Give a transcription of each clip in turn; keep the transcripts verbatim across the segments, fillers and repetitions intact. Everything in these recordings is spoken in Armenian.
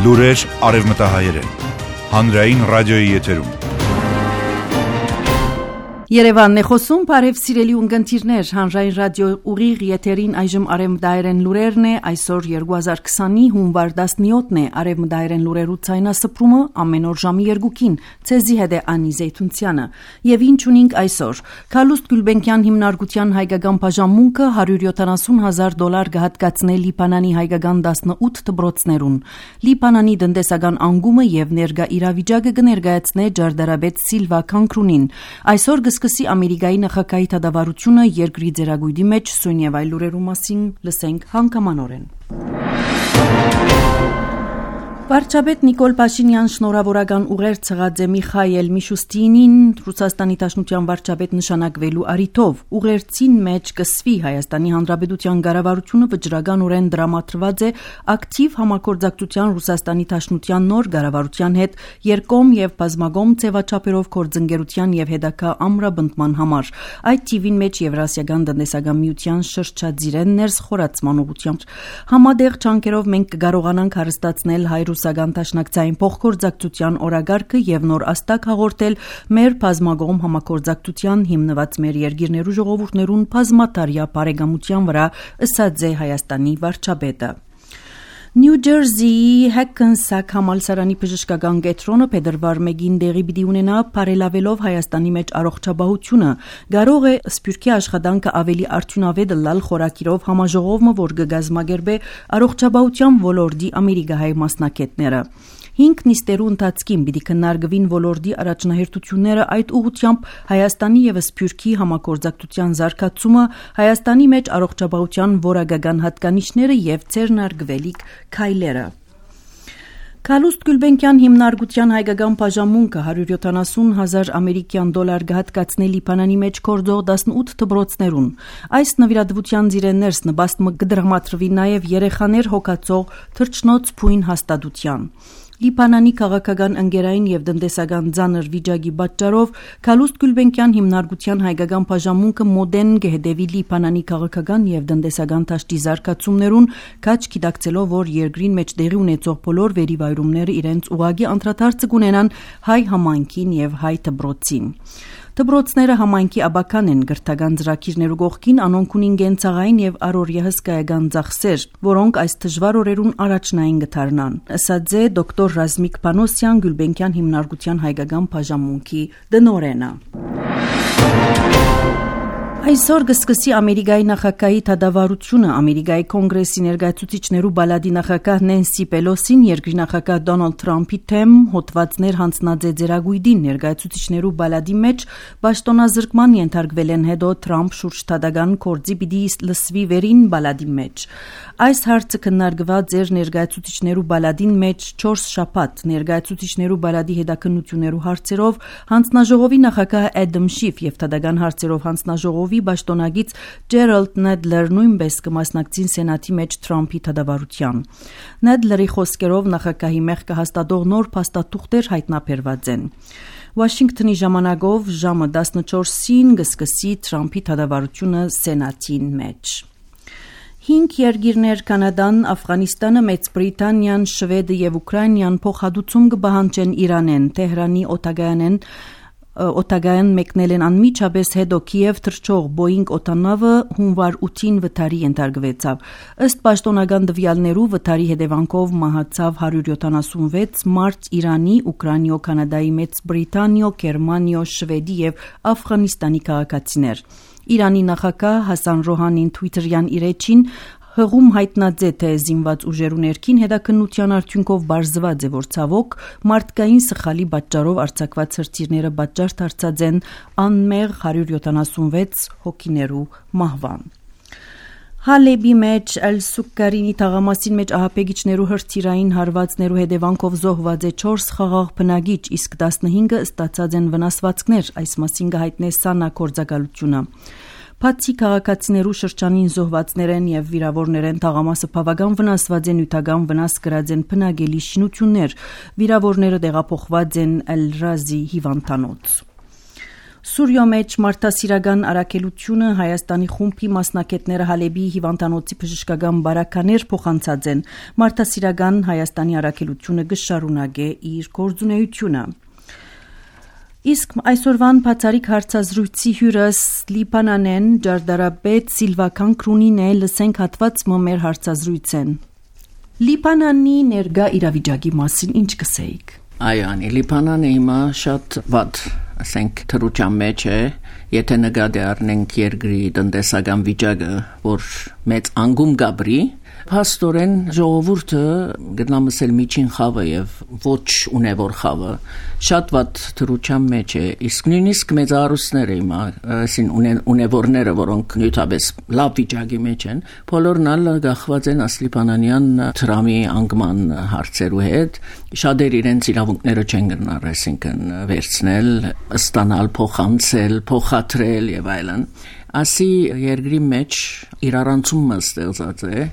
Լուրեր արևմտահայերեն։ Հանրային ռադիոյի եթերում։ Երևանն է խոսում, բարև սիրելի ունգընտիրներ, հանրային ռադիո ուղիղ եթերին այժմ արևմտահայերեն լուրերն է, այսօր երկու հազար քսանի հունվար տասնյոթն է, արևմտահայերեն լուրերու ցայնասփռումը ամեն օր ժամի երկուքին, ցեզի հետ է Անի Զեյթունցյանը, եւ ինչ ունենք այսօր։ Քալուստ Գուլբենկյան հիմնարկության հայկական բաժանմունքը հարյուր յոթանասուն հազար դոլար կհատկացնե Լիբանանի հայկական տասնութ դպրոցներուն։ Լիբանանի տնտեսական անկումը եւ ներկա իրավիճակը կներկայացնե ջարդարաբեդ Սիլվա Քանքրունին։ Այսօր Սկսի Ամերիկայի նախագահի դատավարությունը երկրի ձեռագույտի մեջ սույն եւ այլ լուրերու մասին լսենք հանգամանորեն։ Վարչապետ Նիկոլ Փաշինյան շնորհավորական ուղերձ ցղած է Միխայել Միշուստինին Ռուսաստանի Դաշնության վարչապետ նշանակվելու առիթով։ Ուղերձին մեջ կսվի Հայաստանի Հանրապետության կառավարությունը վճռականորեն դրամատրված է ակտիվ համագործակցության Ռուսաստանի Դաշնության նոր կառավարության հետ երկկողմ եւ բազմակողմ ձևաչափերով գործընկերության եւ հետագա ամրապնդման համար։ Այդ թիվին մեջ Եվրասիական տնտեսական միության շրջաձիրեն ներս խորացման ուղղությամբ համադեղ ճանկերով մենք կկարողանանք հարստացնել հայ Ռուսական դաշնակցային փոխգործակցության օրագարկը եւ նոր աստակ հաղորդել մեր բազմակողմ համագործակցության հիմնված մեր երկիրներու ժողովուրդներուն բազմատարյա բարեկամության վրա, ըսած է Հայաստանի վարչապետը։ Նյու Ջերսիի Հեքենսակ համալսարանի բժշկական կենտրոնը փետրվար մեկին դեղի պիտի ունենա բարելավելով Հայաստանի մեջ առողջապահությունը։ Կարող է սփյուռքի աշխատանքը ավելի արդյունավետ լալ խորակիրով համաժողովը, որ կգազմագերբե առողջապահության ոլորտի ամերիկահայ մասնակիցները։ Հինգ նիստերու ընթացքին պիտի քննարկվին ոլորտի առաջնահերթությունները այդ ուղղությամբ Հայաստանի եւ Սփյուռքի համագործակցության զարգացումը, Հայաստանի մեջ առողջապահության որակական հատկանիշները եւ ձեռնարկվելիք քայլերը։ Քալուստ Գուլբենկյան հիմնարկության հայկական բաժանմունքը հարյուր յոթանասուն հազար ամերիկյան դոլար կհատկացնե Լիբանանի մեջ գործող տասնութ դպրոցներուն։ Այս նվիրատվության ծիրեններս նպաստը կդրամատրվի նաեւ երեխաներ հոգացող թռչնոց փույն հաստատության։ Լիբանանի քաղաքական ընկերային եւ տնտեսական ցաներ վիճակի պատճառով Քալուստ Գուլբենկյան հիմնարկության հայկական բաժանմունքը մոդեն կհետևի Լիբանանի քաղաքական եւ տնտեսական դաշտի զարգացումներուն, քաչ գիտակցելով, որ երկրին մեջ տեղի ունեցող բոլոր վերիվայրումները իրենց ուղագի անդրադարձ կունենան հայ համայնքին եւ հայ դպրոցին։ Դպրոցները համայնքի աբական են գրթական ծրագիրներու կողքին, անոնք ունին գենցաղային եւ առօրյա հսկայական ծախսեր, որոնք այս դժվար օրերուն առաջնային կդառնան, ըսած է դոկտոր Ռազմիկ Պանոսյան Գուլբենկյան հիմնարկության հայկական բաժանմունքի տնօրենը։ Այսօր կսկսի Ամերիկայի նախագահի դատավարությունը։ Ամերիկայի կոնգրեսի ներկայացուցիչներու բալադի նախագահ Նենսի Պելոսին երկրի նախագահ Դոնալդ Թրամփի թեմ հոդվածներ հանձնած է ձեռագույտին ներկայացուցիչներու բալադի մեջ պաշտոնազրկման ենթարկվել են հետո Թրամփ շուրջ դատական կորձի պիտի լսվի վերին բալադի մեջ։ Այս հարցը քննարկված էր ներկայացուցիչներու բալադին մեջ չորս շաբաթ ներկայացուցիչներու բալադի հետաքննություններու հարցերով հանձնաժողովի նախագահ Էդամ Շիֆ եւ դատական հարցերով հանձնաժողովի Պաշտոնագից Ջերալդ Նեդլեր նույնպես կմասնակցին Սենատի մեջ Թրամփի դատավարության։ Նեդլերի խոսքերով նախագահի մեղքը հաստատող նոր փաստաթուղթեր հայտնաբերված են։ Վաշինգտոնի ժամանակով ժամը տասնչորսին կսկսի Թրամփի դատավարությունը Սենատին մեջ։ Հինգ երկիրներ Կանադան, Աֆղանիստանը, Մեծ Բրիտանիան, Շվեդը եւ Ուկրաինան փոխհատուցում կբահանջեն Իրանեն, Թեհրանի օտագայանեն Օտագայան մեկնել են անմիջապես հետո Կիև թռչող Boeing օտանավը հունվար ութին վթարի ենթարկվեցավ։ Ըստ պաշտոնական տվյալներու վթարի հետևանքով մահացավ հարյուր յոթանասունվեց մարդ Իրանի, Ուկրաինիո, Կանադայի, Մեծ Բրիտանիո, Գերմանիո, Շվեդի եւ Աֆղանիստանի քաղաքացիներ։ Իրանի նախագահ Հասան Ռոհանին Twitter-յան իր էջին հղում հայտնած է, թե զինված ուժերու ներքին հետաքննության արդյունքով բարձված է, որ ցավոք մարդկային սխալի պատճառով արձակված հրթիռները պատճառ դարձած են անմեղ հարյուր յոթանասունվեց հոգիներու մահվան։ Հալեբի մեջ Էլ-Սուկարինի թաղամասին մեջ ահապեգիչներու հրթիռային հարվածներու հետևանքով զոհված է չորս խաղաղ բնակիչ, իսկ տասնհինգը ստացած են վնասվածքներ, այս մասին կհայտնե Սանա գործակալությունը։ Բացի քաղաքացիներու շրջանին զոհվածներեն եւ վիրավորներեն թաղամասը բավական վնասված է, նյութական վնաս կրած են բնակելի շինություններ, վիրավորները տեղափոխված են Էլ-Ռազի հիվանդանոց։ Սուրիո մեջ մարդասիրական առաքելությունը Հայաստանի խումբի մասնակիցները Հալեբի հիվանդանոցի բժշկական բարականեր փոխանցած են։ Մարդասիրական Հայաստանի առաքելությունը կշարունակե իր գործունեությունը։ Իսկ այսօրվան բացարիք հարցազրույցի հյուրս Լիբանանեն Ջարդարաբեդ Սիլվական Քրունին է լսենք հատված մեր հարցազրույցեն։ Լիբանանի ներկա իրավիճակի մասին ինչ կսեիք։ Այո, անի Լիբանանը հիմա շատ վատ, ասենք թրուչան մեջ է, եթե նկատի առնենք երկրի տնտեսական վիճակը, որ մեծ անկում գաբրի, փաստորեն ժողովուրդը գտնամսել միջին խավը եւ ոչ ունևոր խավը շատ վատ թրուչան մեջ է, իսկ նույնիսկ մեծարուսները հիմա, ասին ունևորները, որոնք նյութաբես լավ վիճակի մեջ են, բոլորն ալ գախված են ասլիբանանյան թրամի անկման հարցերու հետ, շատեր իրենց իրավունքները չեն գնար, այսինքն վերցնել, ստանալ, փոխանցել, փոխադրել եւ այլն։ Ասի երկրի մեջ իրարանցումը ստեղծած է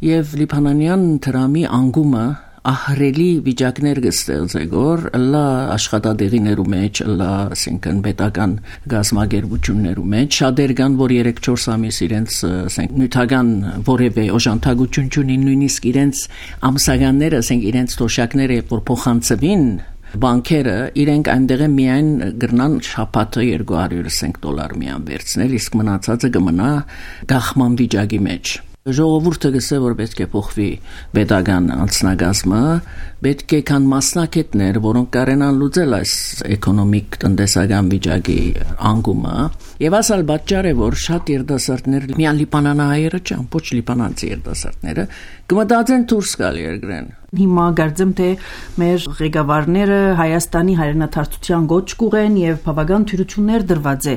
եւ լիբանանյան թրամի անկումը ահրելի վիճակներ կստեղծե գոր լա աշխատադեղիներու մեջ լա ասինքն պետական գազագերբություններու մեջ շատեր կան որ երեք-չորս ամիս իրենց ասենք նյութական որևէ օժանդակություն չունին նույնիսկ իրենց ամսականները ասենք իրենց թոշակները որ փոխանցվին բանկերը իրենք այնտեղ միայն գրնան շաբաթը երկու հարյուր cinq դոլար միան վերցնել իսկ մնացածը կմնա գախման վիճակի մեջ ժողովուրդը գսե որ պետք է փոխվի պետական անձնագազմը պետք է կան մասնակիցներ որոնք կարենան լուծել այս էկոնոմիկ տնտեսական վիճակի անկումը եւ ասալ պատճառ է որ շատ երիտասարդներ միան լիբանանահայերը չան ոչ լիբանանցի երիտասարդները կմտածեն դուրս գալ երկրեն Հիմա գարձեմ թե մեր ղեկավարները Հայաստանի հայրենադարձության գոչ կուղեն եւ բավական թյուրություններ դրված է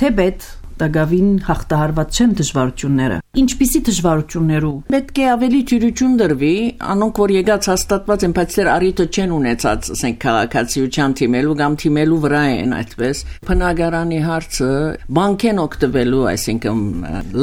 թեպետ Դագավին հաղթահարված չեն դժվարությունները։ Ինչպիսի դժվարություններու։ Պետք է ավելի թյուրություն դրվի, անոնք որ եկած հաստատված են, բայց դեռ առիթը չեն ունեցած, ասենք քաղաքացիության թիմելու կամ թիմելու վրա են այդպես։ Բնակարանի հարցը բանկեն օգտվելու, այսինքն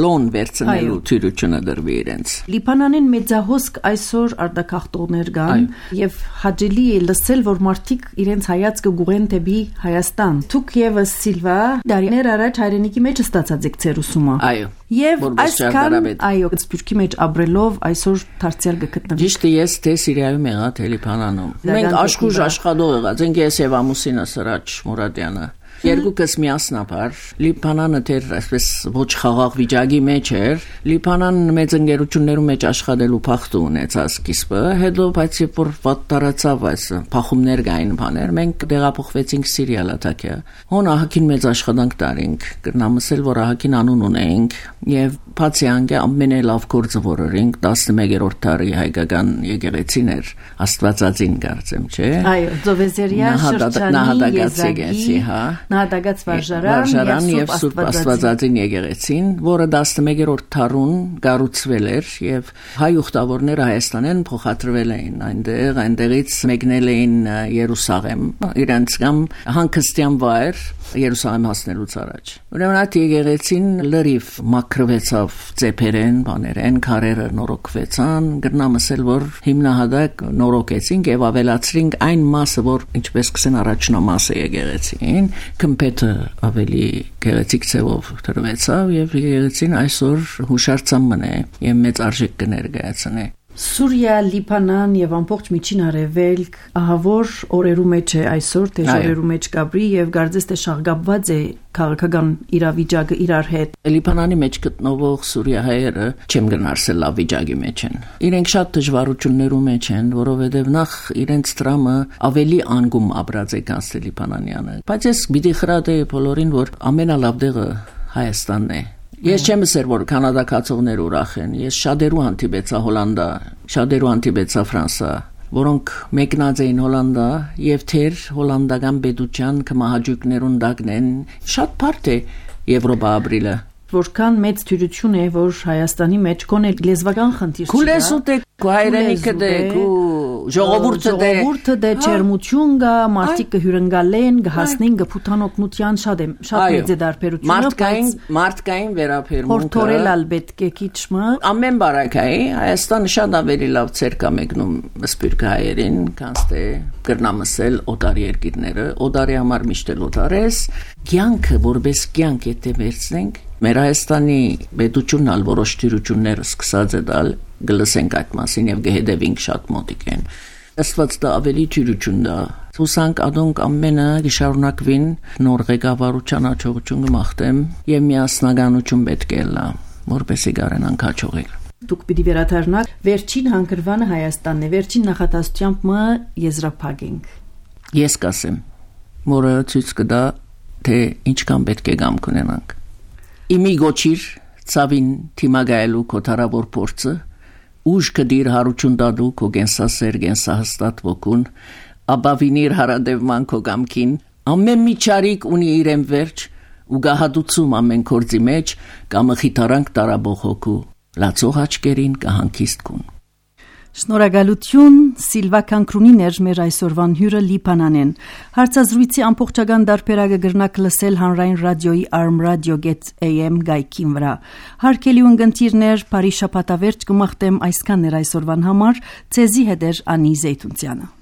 լոն վերցնելու թյուրությունը դրվի իրենց։ Լիբանանին մեծահոսք այսօր արտակախտողներ կան եւ հաջելի է լսել, որ մարդիկ իրենց հայացքը գուղեն դեպի Հայաստան։ Դուք եւս Սիլվա դարիներ առաջ հայրենիքի մեջ ստացած եք ձեր ուսումը։ Այո։ Եվ այսքան այո, սփյուռքի մեջ ապրելով այսօր դարձյալ գտնվի։ Ճիշտ է, ես թե Սիրիայում եղա, թե Լիբանանում։ Մենք աշխուժ աշխատող եղած ենք ես եւ ամուսինը Սրաջ Մուրադյանը։ Երկուքս միասնաբար Լիբանանը դեռ այսպես ոչ խաղաղ վիճակի մեջ էր Լիբանան մեծ ընկերություններում մեջ աշխատելու փախտ ունեցած սկիզբը հետո բայց երբ որ վատ տարածավ այս փախումներ կային բաներ մենք տեղափոխվեցինք Սիրիա լատակիա հոն ահագին մեծ աշխատանք տարինք կրնամսել որ ահագին անուն ունենք եւ բացի անգե ամենալավ գործը որերինք տասնմեկերորդ դարի հայկական եկեղեցին էր Աստվածածին կարծեմ չէ այո Ձովեզերիա շրջանի հա Նահատակած վարժարան եւ Սուրբ Աստվածածին եկեղեցին, որը տասնմեկերորդ դարուն կառուցվել էր եւ հայ ուխտավորները Հայաստանեն փոխադրվել էին այնտեղ, այնտեղից մեկնել էին Երուսաղեմ, իրենց կամ հանգստյան վայր Երուսաղեմ հասնելուց առաջ։ Ուրեմն այդ եկեղեցին լրիվ մաքրվեցավ ծեփերեն, բաներեն, քարերը նորոգվեցան, գրնամսել որ հիմնահատակ նորոգեցինք եւ ավելացրինք այն մասը, որ ինչպես կսեն առաջնամասը եկեղեցին Կմպետը ավելի գեղեցիկ ցևով դրվեցավ եւ եկեղեցին այսօր հուշարձանն է եւ մեծ արժեք կներկայացնի Սուրիա, Լիբանան եւ ամբողջ միջին արևելք ահավոր օրերու մեջ է այսօր թե օրերու մեջ կապրի եւ գարձես թե շաղգապված է քաղաքական իրավիճակը իրար հետ Լիբանանի մեջ գտնվող սուրիահայերը չեմ գնարսել լավ վիճակի մեջ են իրենք շատ դժվարություններու մեջ են որովհետեւ նախ իրենց տրամը ավելի անգում ապրած է կանցել Լիբանանյանը բայց ես պիտի խրատեի բոլորին որ ամենալավ դեղը Հայաստանն է Ես չեմ ասել որ կանադակացողներ ուրախ են ես շատերու հանդիպեցա Հոլանդա շատերու հանդիպեցա Ֆրանսա որոնք մեկնած էին Հոլանդա եւ թեր հոլանդական պետության կմահաճույքներուն դակնեն շատ բարդ է Եվրոպա ապրիլը Որքան մեծ թյուրություն է որ Հայաստանի մեջ կոն է լեզվական խնդիր Քուլեսուտ է հայրենիքը դե քու ժողովուրդը դե ժողովուրդը դե ջերմություն գա, մարդիկ կհյուրընկալեն, կհասնեն, կփութան օգնության շատ է, շատ մեծ է դարբերությունը, մարդկային մարդկային վերաբերմունքը հորթորել ալ պետք է քիչմը ամեն բարակայի Հայաստանը շատ ավելի լավ ցեր կա մեկնում սպիրկ հայերին, քան թե կրնամսել օտար երկիրները, օտարի համար միշտ էլ օտարես, կյանքը որպես կյանք եթե վերցնենք մեր Հայաստանի պետությունն ալ որոշ թյուրություններ սկսած է դալ գլսենք այդ մասին եւ գհետևենք շատ մոտիկ են Աստված դա ավելի թյուրություն դա Հուսանք ադոնք ամենը գշարունակվին նոր ղեկավարության հաջողություն կմաղթեմ եւ միասնականություն պետք է լա որպեսի գարենան քաչողել Դուք պիտի վերադառնաք վերջին հանգրվանը Հայաստանն է վերջին նախատասությամբ մը եզրափակենք Ես կասեմ որը ցույց կտա թե ինչքան պետք է գամ կունենանք Իմի գոչիր ցավին թիմագայելու կոթարավոր փորձը ուժ կդիր հարություն դադու քո գենսասեր գենսահստատ ոգուն աբավինիր հարադևման քո գամքին ամեն մի ճարիք ունի իրեն վերջ ու գահադուցում ամեն կորձի մեջ կամ խիթարանք տարաբող հոգու լացող աչքերին կհանգիստ կուն Շնորհակալություն Սիլվա Կանկրունիներ մեր այսօրվան հյուրը Լիբանանեն հարցազրույցի ամբողջական դարբերակը գրնակ լսել հանրային ռադիոյի Arm Radio.am գայքին վրա հարկելի ունգընտիրներ բարի շաբաթավերջ կմաղթեմ այսքան էր այսօրվան համար ցեզի հետեր Անի Զեյթունցյանը